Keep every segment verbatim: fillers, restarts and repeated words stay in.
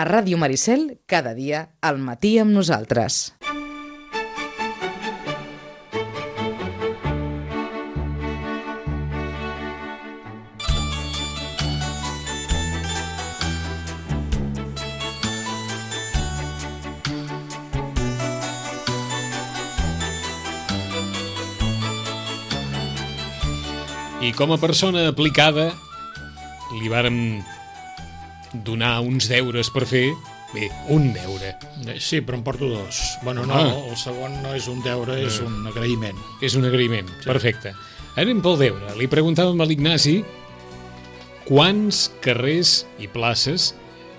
A Ràdio Maricel, cada dia, al matí amb nosaltres. I com a persona aplicada li vàrem donar uns deures per fer. Bé, un deure. Sí, però en porto dos. Bueno, no, Ah. el segon no és un deure, és un agraïment. És un agraïment, sí. Perfecte. Anem pel deure. Li preguntàvem a l'Ignasi quants carrers i places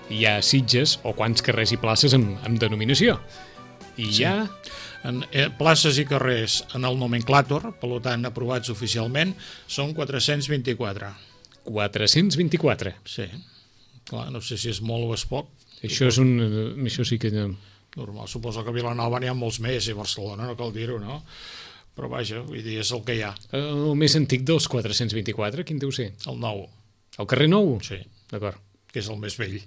hi ha a Sitges o quants carrers i places amb, amb denominació. I Sí. hi ha... En, eh, places i carrers en el nomenclàtor, per tant, aprovats oficialment, són quatre-cents vint-i-quatre. quatre-cents vint-i-quatre. Sí. Clar, no sé si és molt o és poc. Això és un... Això sí que... Normal, suposo que a Vilanova n'hi ha molts més, i a Barcelona, no cal dir-ho, no? Però vaja, vull dir, és el que hi ha. El més antic dels quatre-cents vint-i-quatre, quin deu ser? El nou. El carrer Nou? Sí. D'acord. Que és el més vell.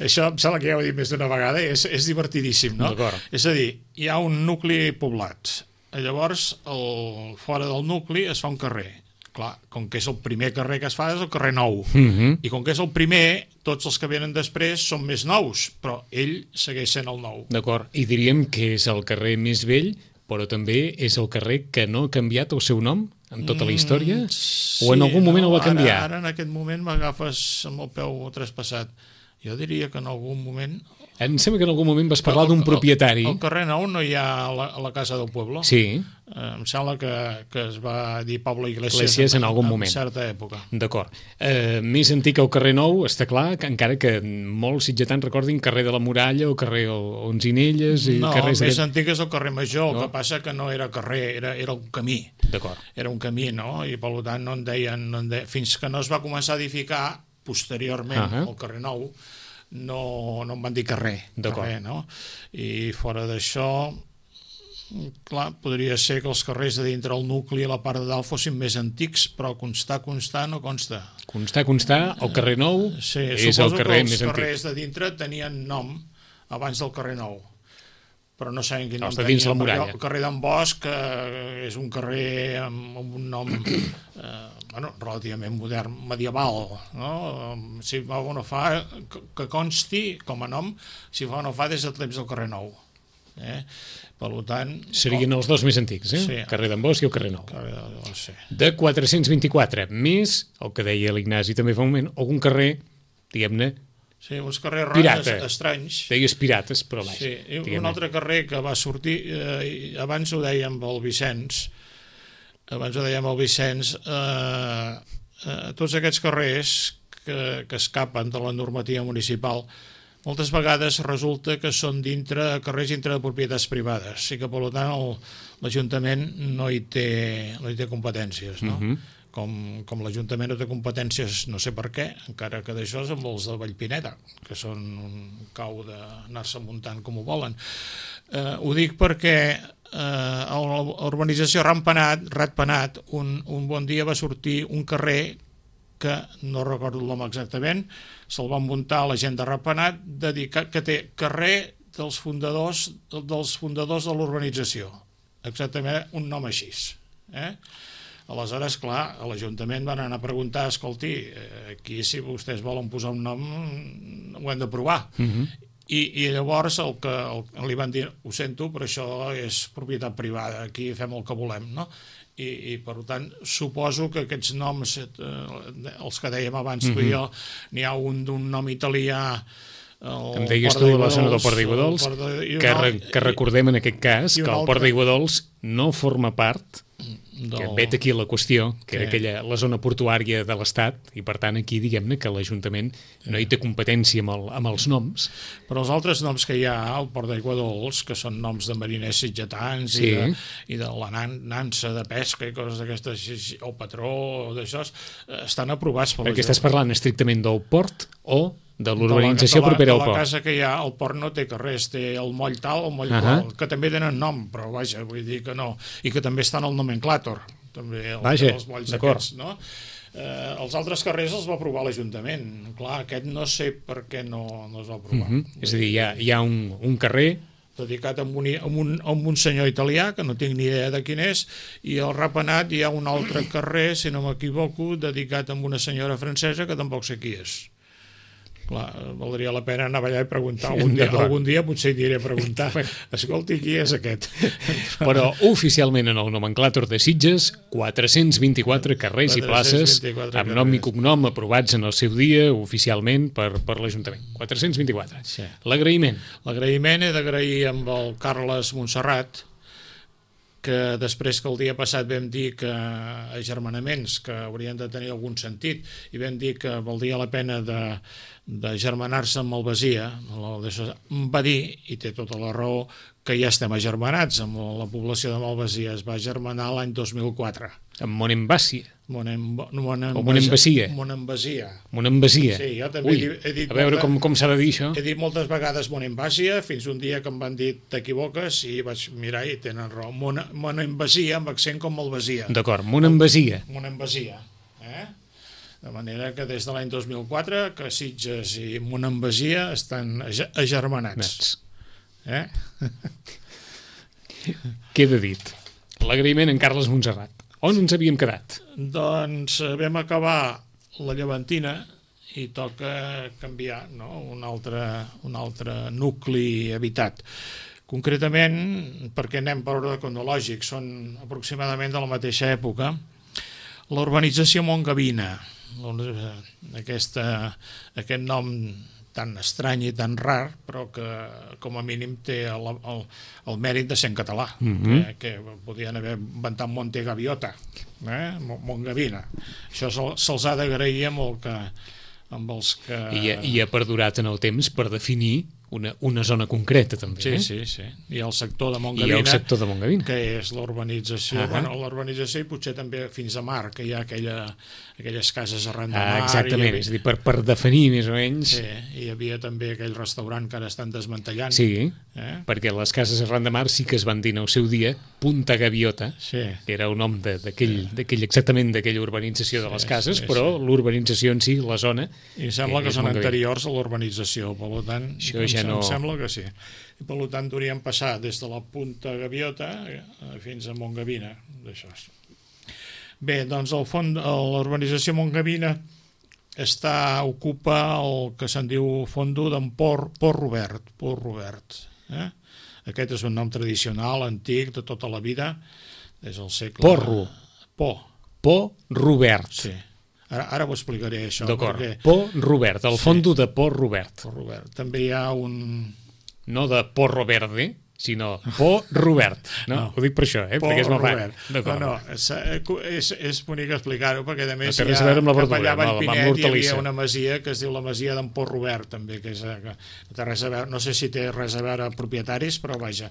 Això em sembla que ja ho he dit més d'una vegada, és, és divertidíssim, no? D'acord. És a dir, hi ha un nucli poblat, llavors el, fora del nucli es fa un carrer. Clar, com que és el primer carrer que es fa és el carrer Nou, Mhm. i com que és el primer, tots els que venen després són més nous, però ell segueix sent el nou. D'acord. I diríem que és el carrer més vell, però també és el carrer que no ha canviat el seu nom en tota la història? Mm, sí, o en algun moment no, el va canviar? Ara, ara en aquest moment m'agafes amb el peu traspassat. Jo diria que en algun moment... Em sembla que en algun moment vas parlar d'un El- propietari. Al carrer Nou no hi ha la, a la Casa del Pueblo. Sí, Eh, em sembla que, que es va dir Pablo Iglesias, Iglesias en algun moment. En certa època. d'acord. Eh, més antic el carrer Nou, està clar, que encara que molts sitgetans recordin carrer de la Muralla o carrer Onzinelles i No, el carrers... més d'aquest- antic és el carrer Major, No. el que passa que no era carrer, era, era un camí. D'acord. Era un camí, no? I per tant no en deien... No en deien fins que no es va començar a edificar posteriorment Ahà. el carrer Nou, no, no en van dir carrer, D'acord. carrer, no? I fora d'això, clar, podria ser que els carrers de dintre el nucli i la part de dalt fossin més antics, però constar, constar, no consta. Constar, constar, el carrer Nou Sí, és el suposo carrer que els més antic. carrers de dintre tenien nom abans del carrer Nou, però no sabem quin nom Els de dins la tenien, perquè muralla. El carrer d'en Bosch eh, és un carrer amb, amb un nom eh, bueno, relativament modern, medieval, no? Si fa o no fa, que, que consti com a nom, si fa o no fa des de temps del carrer Nou. Eh? Per tant... Serien els dos més antics, eh? Sí. El carrer d'en Bosch i el carrer Nou. Carrer de, no sé. De quatre-cents vint-i-quatre, més el que deia l'Ignasi també fa un moment, algun carrer, diguem-ne, Sí, uns carrers Pirata. raros, estranys. deies pirates, però vaja. Sí, i un diguem-ne. altre carrer que va sortir, eh, abans ho dèiem el Vicenç, abans ho dèiem el Vicenç, eh, eh, tots aquests carrers que, que escapen de la normativa municipal, moltes vegades resulta que són dintre carrers dintre de propietats privades, i que per tant el- l'Ajuntament no hi té, no hi té competències, no? Mhm. Com, com l'Ajuntament no té competències, no sé per què, encara que d'això és amb els de Vallpineda, que són un cau d'anar-se muntant com ho volen. Eh, ho dic perquè eh, a l'urbanització Ratpenat, Ratpenat un, un bon dia va sortir un carrer que no recordo el nom exactament, se'l van muntar la gent de Ratpenat, dedicat, que té carrer dels fundadors, dels fundadors de l'urbanització. Exactament un nom així. Eh? Aleshores, clar, a l'Ajuntament van anar a preguntar, escolti, eh, aquí si vostès volen posar un nom ho hem de provar. Mhm. I, i llavors el que el, li van dir, ho sento, però això és propietat privada, aquí fem el que volem, no? I, i per tant, suposo que aquests noms, eh, els que dèiem abans tu i jo, n'hi ha un d'un nom italià, el Em deies Port tu la d'Aiguadols, zona del Port d'Aiguadols, el Port de- i que, un re, al- que recordem en aquest cas i que un el Port altre- d'Aiguadols no forma part, del- que vet aquí la qüestió, que era Sí. aquella, la zona portuària de l'Estat, i per tant aquí diguem-ne que l'Ajuntament no hi té competència amb, el, amb els noms. Però els altres noms que hi ha al Port d'Aiguadols, que són noms de mariners sitgetans Sí. i, de, i de la nan, nansa de pesca i coses d'aquestes, o patró, o d'això, eh, estan aprovats per Perquè estàs parlant estrictament del port o de de l'urbanització la, propera de al la port. casa que hi ha, el port no té carrers, té el moll tal, el moll Ahà. qual, que també tenen nom, però vaja, vull dir que no, i que també estan al nomenclàtor, també el, Vaja, els molls d'acord. aquests, no? Eh, els altres carrers els va aprovar l'Ajuntament. Clar, aquest no sé per què no, no es va aprovar. Mm -hmm. És a dir, hi ha, hi ha un, un carrer dedicat a un, a, un, a un senyor italià, que no tinc ni idea de quin és, i al Ratpenat hi ha un altre carrer, si no m'equivoco, dedicat a una senyora francesa que tampoc sé qui és. Clar, valdria la pena anar allà i preguntar algun dia, algun dia potser hi aniré a preguntar, escolti, qui és aquest? Però oficialment en el nomenclàtor de Sitges, quatre-cents vint-i-quatre carrers i places amb nom i cognom aprovats en el seu dia oficialment per, per l'Ajuntament. quatre-cents vint-i-quatre. Sí. L'agraïment. L'agraïment he d'agrair amb el Carles Montserrat, que després que el dia passat vam dir que agermanaments que haurien de tenir algun sentit i vam dir que valdria la pena de, de germanar-se amb el Basia, em va dir, i té tota la raó, que ja estem agermanats amb la població de Malvasia. Es va germanar l'any dos mil quatre. Amb Monembasia. Monem, o Monembasia. Monembasia. Monembasia. Sí, jo també Ui, he dit... A veure molta, com, com s'ha de dir això. He dit moltes vegades Monembasia, fins un dia que em van dir t'equivoques i vaig mirar i tenen raó. Monembasia, amb accent com Malvasia. D'acord, Monembasia. Monembasia. Eh? De manera que des de l'any dos mil quatre que Sitges i Monembasia estan agermanats. Nats. Eh? Queda dit. L'agraïment en Carles Montserrat. On ens havíem quedat? Doncs vam acabar la Llevantina i toca canviar, no? un, altre, un altre nucli habitat. Concretament, perquè anem per ordre cronològic, són aproximadament de la mateixa època, la urbanització Montgavina, aquesta, aquest nom tan estrany i tan rar, però que com a mínim té el, el, el mèrit de ser en català, mm-hmm. que, que podien haver inventat Monte Gaviota, eh? Montgavina. Això se'ls se ha d'agrair amb, el que, amb els que... I, I ha perdurat en el temps per definir una, una zona concreta, també. Sí, eh? sí, sí. I el sector de Montgavina, I el sector de Montgavina. Que és l'urbanització, uh -huh. bueno, l'urbanització i potser també fins a mar, que hi ha aquella, aquelles cases arran de mar. Ah, exactament, havia... és a dir, per, per definir més o menys... Sí, hi havia també aquell restaurant que ara estan desmantellant. Sí, eh? perquè les cases arran de mar sí que es van dir en el seu dia Punta Gaviota, sí. que era el nom d'aquell sí. exactament d'aquella urbanització de les sí, cases, sí, però sí. l'urbanització en si, la zona... I sembla que, que són anteriors a l'urbanització, per tant, això ja em, no... em sembla que sí. I per tant hauríem passar des de la Punta Gaviota fins a Montgavina d'això. Bé, doncs el fons, l'urbanització Montgavina està, ocupa el que se'n diu fondo d'en Port, Port Robert, Port Robert. Eh? Aquest és un nom tradicional, antic, de tota la vida, des del segle... Porro. Po. Po Robert. Sí. Ara, ara ho explicaré, això. D'acord, perquè... Po Robert, el fondo sí. de Port Robert. Port Robert. També hi ha un... No de Porro Verde, sinó Po Robert. No, no, ho dic per això, eh? Po perquè és molt Robert. No, no, és, és, és bonic explicar-ho, perquè a més no, hi ha, a amb la verdura, allà a Vallpinet hi havia una una masia que es diu la masia d'en Port Robert, també, que, és, que té res a veure, no sé si té res a veure propietaris, però vaja.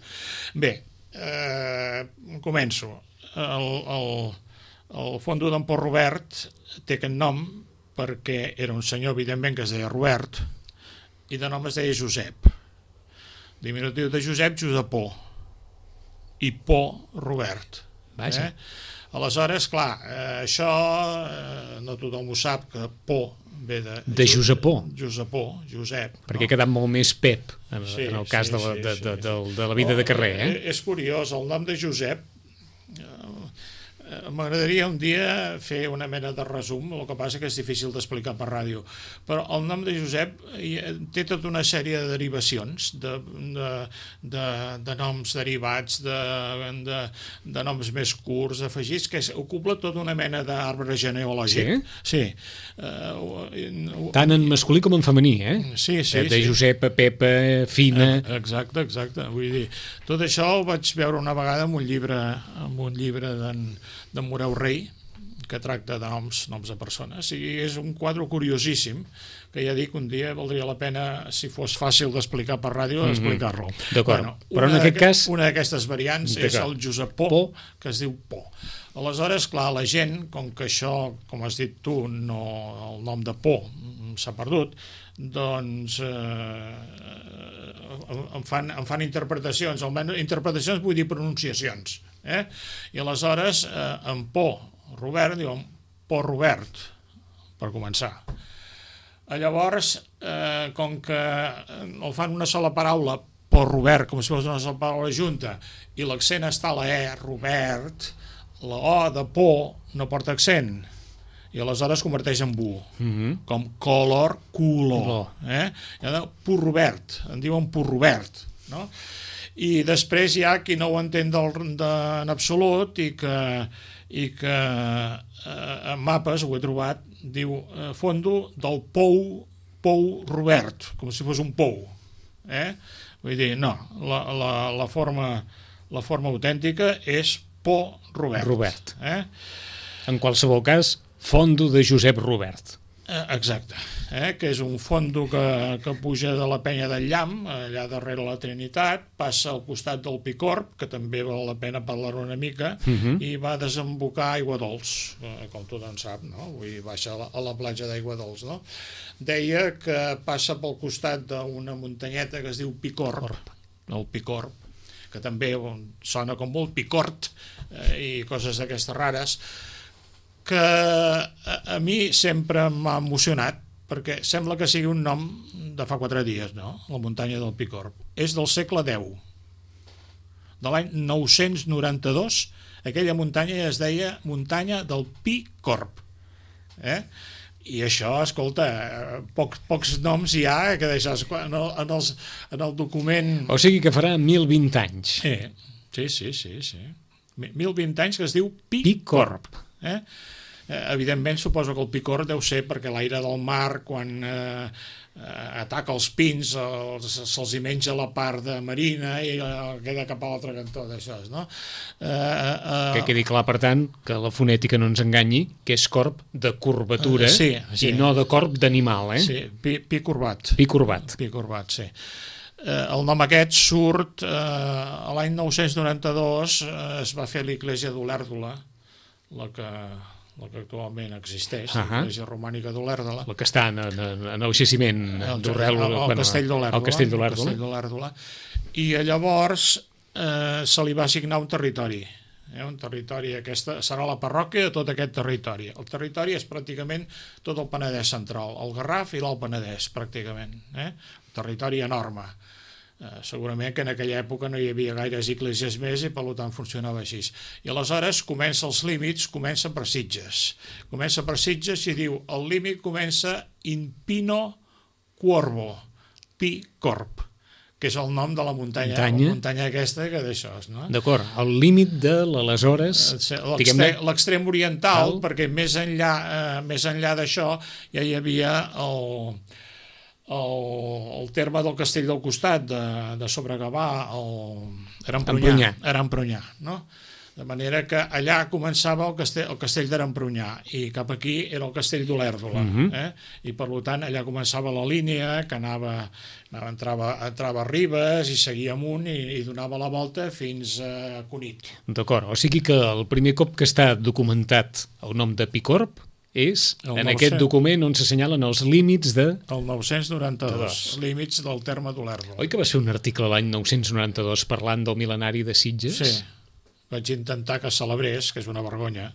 Bé, eh, començo. El, el, el fondo d'en Port Robert té aquest nom perquè era un senyor, evidentment, que es deia Robert, i de nom es deia Josep. Diminutiu de Josep, Josepó, i Po, Robert. Vaja. Eh? Aleshores, clar, eh, això eh, no tothom ho sap, que Po ve de... De Josepó. Josepó, Josep. Perquè no? ha quedat molt més Pep, en, sí, en el cas sí, de, la, sí, de, sí, de, sí. de, de la vida oh, de carrer. Eh? És curiós, el nom de Josep... M'agradaria un dia fer una mena de resum, el que passa que és difícil d'explicar per ràdio, però el nom de Josep té tota una sèrie de derivacions, de, de, de, de noms derivats, de, de, de noms més curts, afegits, que ocupa tota una mena d'arbre genealògic. Sí? Sí. Uh, Tant en masculí com en femení, eh? Sí, sí. De, de sí. Josepa, Pepa, Fina... Exacte, exacte. Vull dir, tot això ho vaig veure una vegada en un llibre, en un llibre d'en d'en Moreu Rei, que tracta de noms, noms de persones, i és un quadre curiosíssim, que ja dic, un dia valdria la pena, si fos fàcil d'explicar per ràdio, mm-hmm. explicar-lo. D'acord, bueno, però en aquest cas... Una d'aquestes variants és el Josepó, po, que es diu Po. Aleshores, clar, la gent, com que això, com has dit tu, no, el nom de Po s'ha perdut, doncs eh, en, fan, en fan interpretacions, almenys interpretacions vull dir pronunciacions, eh? I aleshores eh, en Po Robert diuen Port Robert, per començar. Llavors, eh, com que el fan una sola paraula, Port Robert, com si fos una sola paraula junta, i l'accent està a la E, Robert, la O de por no porta accent, i aleshores converteix en bu, Mm-hmm. com color, color. Color. Eh? Port Robert, en diuen Port Robert, no? I després hi ha qui no ho entén del, de, en absolut i que, i que eh, en mapes, ho he trobat, diu eh, fondo del pou, pou Robert, com si fos un pou. Eh? Vull dir, no, la, la, la, forma, la forma autèntica és Po Robert. Robert. Eh? En qualsevol cas, fondo de Josep Robert. Eh, exacte, eh? Que és un fondo que, que puja de la penya del Llamp, allà darrere la Trinitat, passa al costat del Picorb, que també val la pena parlar una mica, Uh-huh. i va desembocar a Aigua Dols, eh, com tothom sap, no? Vull dir, baixa a la, a la platja d'Aigua Dols, no? Deia que passa pel costat d'una muntanyeta que es diu Picorb, el Picorb, que també sona com molt picort, eh, i coses d'aquestes rares, que a, a mi sempre m'ha emocionat, perquè sembla que sigui un nom de fa quatre dies, no? La muntanya del Picorb. És del segle deu. De l'any nou-cents noranta-dos, aquella muntanya es deia muntanya del Picorb. Eh? I això, escolta, pocs, pocs noms hi ha que deixes en el, en, els, en el document... O sigui que farà mil vint anys. Sí, sí, sí, sí, sí. Mil vint anys que es diu Picorb. Picorb. Eh? Eh, evidentment suposo que el Picorb deu ser perquè l'aire del mar quan eh, eh, ataca els pins els, se'ls hi menja la part de marina i eh, queda cap a l'altre cantó d'això, no? Eh, eh, Que quedi clar, per tant, que la fonètica no ens enganyi, que és corb de curvatura Eh, sí, sí. i no de corb d'animal, eh? sí, pi, pi corbat. Pi corbat. Pi corbat, sí. Eh, el nom aquest surt eh, l'any nou-cents noranta-dos, eh, es va fer l'Iglésia d'Olèrdola, la que, la que actualment existeix, uh -huh. l'Església Romànica d'Olèrdola. La que està en, en, en el jaciment d'Olèrdola. El, el, el castell d'Olèrdola. El castell d'Olèrdola. I llavors eh, se li va assignar un territori. Eh, un territori, aquesta serà la parròquia de tot aquest territori. El territori és pràcticament tot el Penedès central, el Garraf i l'Alt Penedès, pràcticament. Eh? Un territori enorme. Eh, segurament que en aquella època no hi havia gaires esglésies més i per tant funcionava així. I aleshores comença els límits, comença per Sitges. Comença per Sitges i diu el límit comença in Pino Cuorbo, Pi Corb, que és el nom de la muntanya, muntanya. la muntanya aquesta que d'això, no? D'acord, el límit de l'aleshores... L'extrem oriental, tal, perquè més enllà, eh, més enllà d'això ja hi havia el... El, el terme del castell del costat de, de Sobregavà, Arampronyà, Arampronyà, no? De manera que allà començava el castell, el castell d'Arampronyà i cap aquí era el castell d'Olèrdola, uh -huh. eh? I per tant allà començava la línia que anava, anava entrava, entrava a Ribes i seguia amunt i, i donava la volta fins a Cunit. D'acord, o sigui que el primer cop que està documentat el nom de Picorb és el en nou-cents... aquest document on s'assenyalen els límits de... El nou-cents noranta-dos, límits del terme d'Olèrdola. Oi que vas fer un article l'any nou-cents noranta-dos parlant del mil·lenari de Sitges? Sí, vaig intentar que es celebrés, que és una vergonya.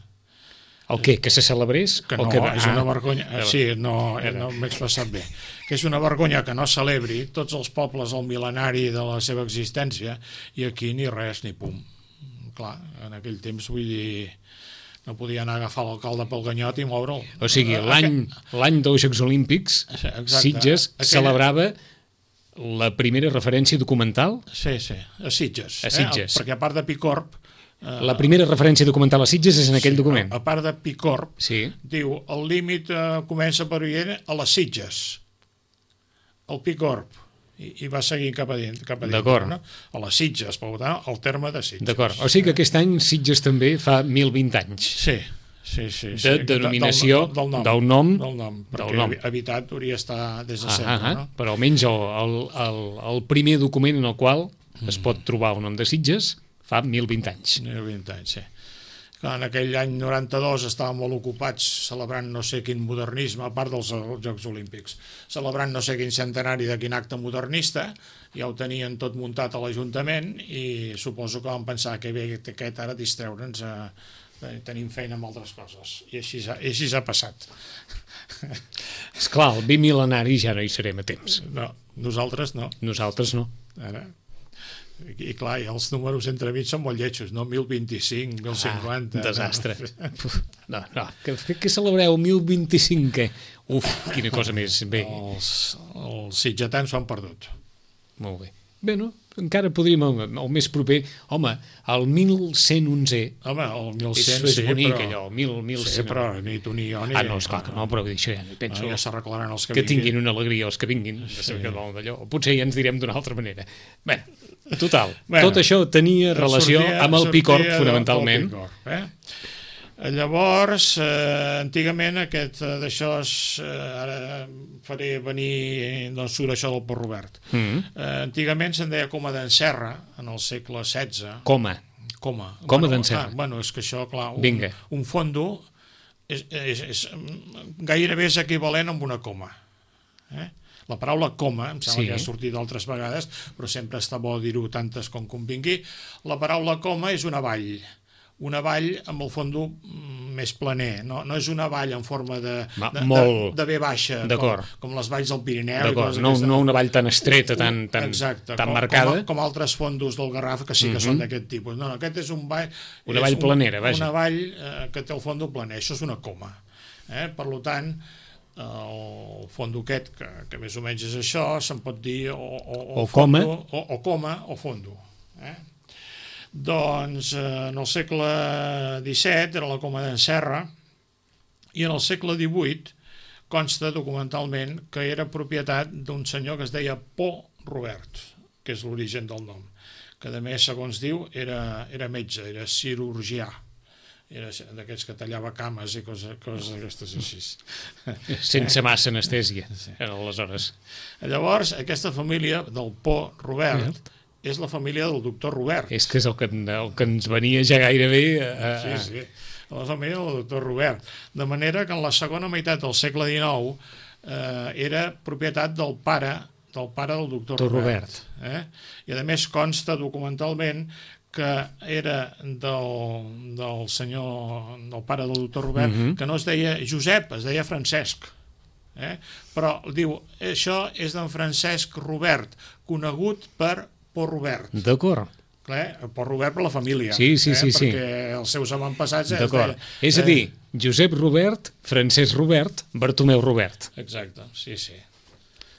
El què? Que se celebrés? Que no, o que... és una vergonya... Ah, sí, no, no m'he expressat bé. Que és una vergonya que no celebri tots els pobles el mil·lenari de la seva existència i aquí ni res ni pum. Clar, en aquell temps vull dir... no podia anar a agafar l'alcalde pel ganyot i moure'l. O sigui, l'any l'any dels Jocs Olímpics, exacte. Sitges Aquella... celebrava la primera referència documental? Sí, sí, a Sitges. A Sitges. Eh? Perquè a part de Picorb... Eh, la primera referència documental a Sitges és en aquell sí, document. A part de Picorb, sí. Diu, el límit eh, comença per Ullera a les Sitges. El Picorb. I, i va seguir cap a dins, cap a dins, no? A les Sitges, per tant, el terme de Sitges. D'acord, o sigui que aquest any Sitges també fa mil vint anys. Sí, sí, sí. De sí. denominació del, del, del, nom, del nom. Del nom, perquè del nom. habitat hauria estar des de ah, sempre, ah, no? Però almenys el, el, el, el primer document en el qual mm. es pot trobar el nom de Sitges fa mil vint anys. mil vint anys, sí. En aquell any noranta-dos estaven molt ocupats celebrant no sé quin modernisme, a part dels Jocs Olímpics, celebrant no sé quin centenari de quin acte modernista, ja ho tenien tot muntat a l'Ajuntament i suposo que van pensar que bé aquest ara distreure'ns a, tenim feina amb altres coses, i així, i així ha passat. Esclar, el bimil·lenari ja no hi serem a temps. No, nosaltres no. Nosaltres no. Ara, i clar, i els números entremig són molt lletjos, no? mil vint-i-cinc, mil cinquanta... Ah, desastre. No, no, que, que celebreu mil vint-i-cinc, què? Uf, quina cosa més bé. Els, els sitgetans s'ho han perdut. Molt bé. Bé, no? Encara podríem, el, el més proper... Home, el mil cent onze... Home, el mil cent, és, és sí, bonic, però... allò, mil, mil sí, cent... però ni tu ni jo ni... Ah, no, esclar que no, però això ja no hi penso. No, ja s'arreglaran els que, que vinguin. tinguin una alegria els que vinguin. Sí. D'allò. Potser ja ens direm d'una altra manera. Bé, total, bueno, tot això tenia relació sortia, amb el Picorb, fonamentalment. Picorb, eh? Llavors, eh, antigament aquest d'això, eh, ara faré venir d'on surt això del Port Robert. Mm -hmm. eh, antigament se'n deia coma d'en Serra, en el segle setze. Coma. Coma. Coma bueno, d'en Serra. Ah, bueno, és que això, clar, un, Vinga. un fondo és, és, és, gairebé és equivalent amb una coma. Eh? La paraula coma, em sembla sí. que ha sortit altres vegades, però sempre està bo dir-ho tantes com convingui. La paraula coma és una vall. Una vall amb el fondo més planer, no, no és una vall en forma de, de, molt... de, de V baixa, com, com les valls del Pirineu. No, no una vall tan estreta, tan, tan, Exacte, tan com, marcada. Com, com altres fondos del Garraf, que sí que mm -hmm. són d'aquest tipus. No, no, aquest és un vall... Una vall un, planera, vaja. Una vall eh, que té el fondo planer, això és una coma. Eh? Per tant, el fondo aquest, que, que més o menys és això, se'n pot dir o, o, o, o fondo, coma o, o coma o fondo. Eh? Doncs eh, en el segle disset era la coma d'en Serra i en el segle divuit consta documentalment que era propietat d'un senyor que es deia Port Robert, que és l'origen del nom, que a més, segons diu, era, era metge, era cirurgià, era d'aquests que tallava cames i coses, coses d'aquestes així. Sense massa anestèsia, sí. Aleshores. Llavors, aquesta família del Port Robert mm. és la família del doctor Robert. És que és el que, el que ens venia ja gairebé... A... Sí, sí, la família del doctor Robert. De manera que en la segona meitat del segle dinou eh, era propietat del pare del pare del doctor Robert. Robert. Eh? I a més consta documentalment que era del, del senyor, del pare del doctor Robert, mm-hmm. que no es deia Josep, es deia Francesc. Eh? Però diu, això és d'en Francesc Robert, conegut per Port Robert. D'acord. Clar, Port Robert per la família. Sí, sí, eh? sí. Perquè els seus avantpassats... D'acord. És a dir, Josep Robert, Francesc Robert, Bartomeu Robert. Exacte, sí, sí.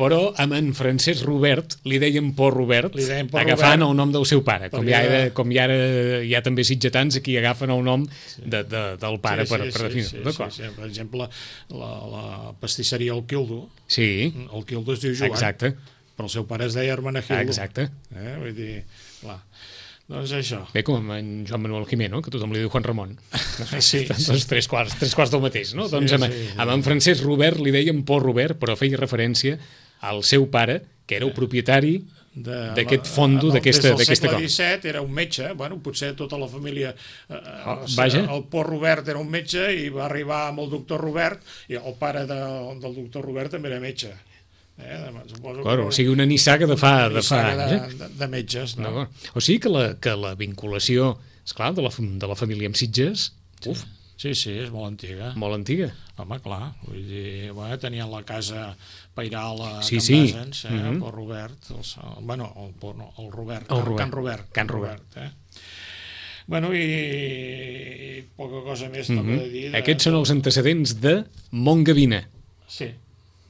Però amb en Francesc Robert li deien Port Robert, li deien Port agafant Robert, el nom del seu pare. Com ja, era, com ja ara hi ha també sitgetans aquí agafen el nom sí. de, de, del pare sí, sí, per, per definir. Sí, sí, sí, sí. Per exemple, la, la pastisseria El Quildo. Sí. El Quildo es diu Joan. Exacte. Però el seu pare es deia Hermenegildo. Exacte. Eh? Vull dir, clar. Doncs això. Bé, com en Joan Manuel Jimeno, que tothom li diu Juan Ramon. Sí. Doncs tres quarts, tres quarts del mateix, no? Sí, doncs amb, sí, sí. amb en Francesc Robert li deien Port Robert, però feia referència al seu pare, que era el propietari d'aquest fondo, d'aquesta cosa. Des del segle disset era un metge, bueno, potser tota la família... Eh, oh, vaja. El Port Robert era un metge i va arribar amb el doctor Robert, i el pare de, del doctor Robert també era metge. Eh, suposo claro, que... O sigui, una nissaga de fa, de fa de, anys. De, de metges, no? no? O sigui que la, que la vinculació, esclar, de la, de la família amb Sitges, uf, sí, sí, és molt antiga. Molt antiga. Home, clar, vull dir, bueno, tenien la casa pairal a sí, Can sí. Basens, eh, mm -hmm. el Robert, el, bueno, el, no, el Robert, el Robert. Can Robert. Can Robert. Robert eh? Bueno, i, i poca cosa més mm -hmm. toca de dir. De... Aquests són els antecedents de Montgavina. Sí,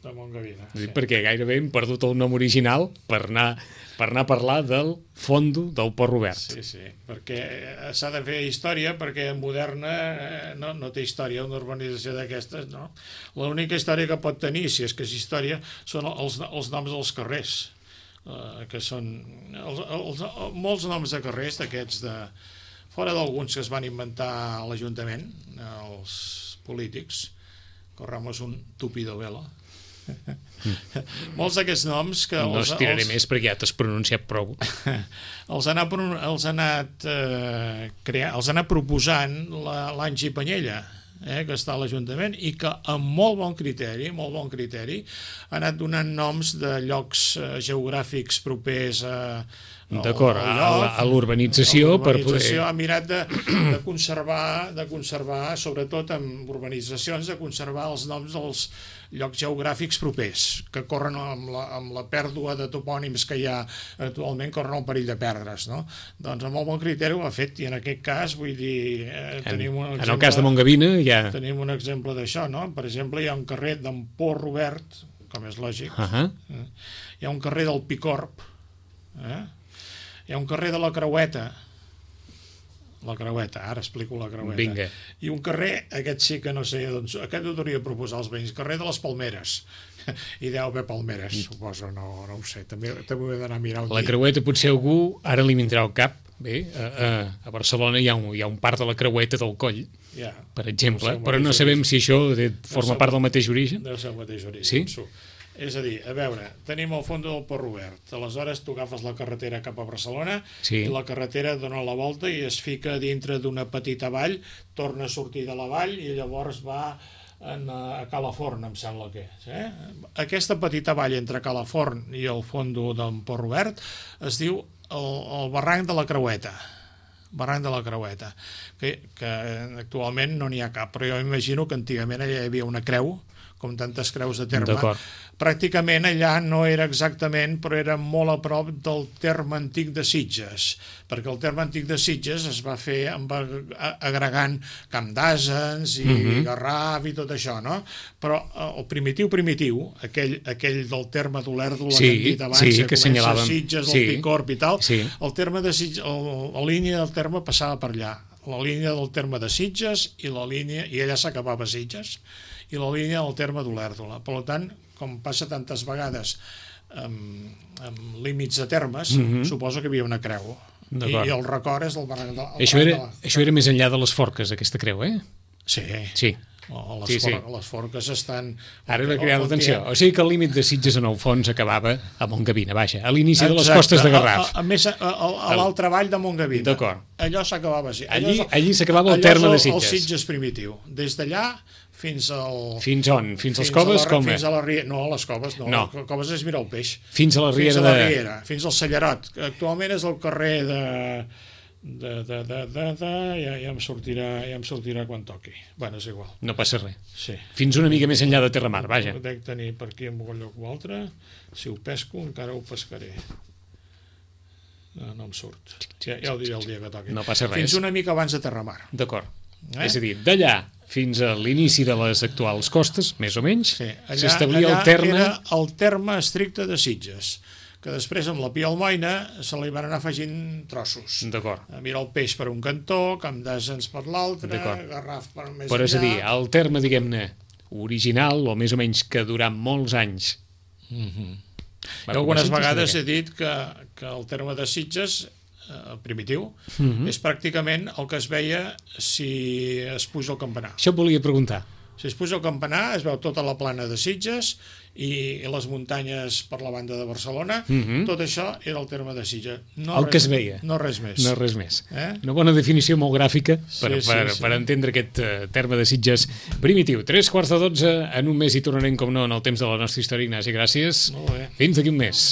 de Montgavina. Sí. Perquè gairebé hem perdut el nom original per anar, per anar a parlar del fondo del Port Robert. Sí, sí, perquè s'ha de fer història, perquè moderna no, no té història, una urbanització d'aquestes, no. L'única història que pot tenir, si és que és història, són els, els noms dels carrers, uh, que són els, els, els, molts noms de carrers d'aquests, de, fora d'alguns que es van inventar a l'Ajuntament, els polítics, corramos un tupido velo. Mm. Molts d'aquests noms que no els, estiraré els, més perquè ja t'has pronunciat prou. els ha anat, els ha anat, eh, crear, els ha anat proposant l'Angi Panyella, eh, que està a l'Ajuntament, i que amb molt bon criteri, molt bon criteri, ha anat donant noms de llocs eh, geogràfics propers a, D'acord, a l'urbanització per poder... L'urbanització ha mirat de, de conservar, de conservar, sobretot en urbanitzacions, de conservar els noms dels llocs geogràfics propers, que corren amb la, amb la pèrdua de topònims que hi ha actualment, corren el perill de perdre's, no? Doncs amb molt bon criteri ho ha fet, i en aquest cas, vull dir, eh, tenim un exemple... En el cas de Montgavina ja... Tenim un exemple d'això, no? Per exemple, hi ha un carrer d'en Pol Robert, com és lògic, uh -huh. eh? Hi ha un carrer del Picorb, eh? Hi ha un carrer de la Creueta, la Creueta, ara explico la Creueta. Vinga. I un carrer, aquest sí que no sé, doncs, aquest ho hauria de proposar als veïns, carrer de les Palmeres. I deu haver palmeres, mm. suposo, no, no ho sé, també, també ho he d'anar a mirar un La dia. Creueta potser algú ara li vindrà al cap. Bé, a, a, a Barcelona hi ha, un, hi ha un parc de la Creueta del Coll, yeah. per exemple, no, però no sabem si això de, forma part del mateix origen. Deu ser el mateix origen. Sí? És a dir, a veure, tenim el fons del Port Robert, aleshores tu agafes la carretera cap a Barcelona, sí. i la carretera dona la volta i es fica dintre d'una petita vall, torna a sortir de la vall i llavors va en, a Calaforn, em sembla que és. Eh? Aquesta petita vall entre Calaforn i el fondo del Port Robert es diu el, el barranc de la Creueta. Barranc de la Creueta, que, que actualment no n'hi ha cap, però jo imagino que antigament allà hi havia una creu, com tantes creus de terme. Pràcticament allà no era exactament, però era molt a prop del terme antic de Sitges, perquè el terme antic de Sitges es va fer amb, agregant Camp d'Asens i uh-huh. Garraf i tot això, no? Però el primitiu primitiu, aquell, aquell del terme d'Olèrdola sí, que hem dit abans, sí, que, que comença Sitges, sí, el Picorb i tal, sí. el terme de Sitges, el, la línia del terme passava per allà, la línia del terme de Sitges i la línia, i allà s'acabava Sitges, i la línia del terme d'Olèrdola. Per tant, com passa tantes vegades amb, amb límits de termes, mm-hmm. suposo que hi havia una creu. I, i el record és el barranc de la... Això era, això era més enllà de les Forques, aquesta creu, eh? Sí. Sí. O les, sí, sí. For, les forques estan... Ara m'he creat l'atenció. O sigui que el límit de Sitges en el fons acabava a Montgavina, vaja, a l'inici de les costes de Garraf. A, a, a més, a, a, a l'altra vall de Montgavina. D'acord. Allò s'acabava així. Allí, allí s'acabava el terme de Sitges. El Sitges primitiu. Des d'allà fins al... Fins on? Fins, fins les coves? La, com fins a la riera. No, a les coves no. no. Les coves és mirar el peix. Fins a la riera fins a la de... riera, fins al Cellerot. Actualment és el carrer de... de, de, de, de, de ja, ja, em sortirà, ja em sortirà quan toqui. Bueno, és igual. No passa res. Sí. Fins una mica més enllà de Terramar, vaja. Ho dec tenir per aquí en algun lloc o altre. Si ho pesco encara ho pescaré. No, no em surt. Ja, ja ho diré el dia que toqui. No passa res. Fins una mica abans de Terramar. D'acord. Eh? És a dir, d'allà fins a l'inici de les actuals costes, més o menys, sí, s'establia el terme... Era el terme estricte de Sitges, que després amb la Pia Almoina se li van anar afegint trossos. D'acord. Mira el peix per un cantó, Camp d'Asens per l'altre, Garraf per més Però enllà... és a dir, el terme, diguem-ne, original, o més o menys que durant molts anys... Mm-hmm. Jo algunes vegades he dit que, que el terme de Sitges, eh, primitiu, mm-hmm. és pràcticament el que es veia si es puja el campanar. Això et volia preguntar. Si es puja el campanar, es veu tota la plana de Sitges i les muntanyes per la banda de Barcelona. Mm-hmm. Tot això era el terme de Sitges. No el res, que es veia. No res més. No res més. Eh? Una bona definició molt gràfica per, sí, sí, per, sí. per entendre aquest uh, terme de Sitges primitiu. Tres quarts de dotze, en un mes hi tornarem, com no, en el temps de la nostra història. Ignasi, gràcies. Molt bé. Fins d'aquí un mes.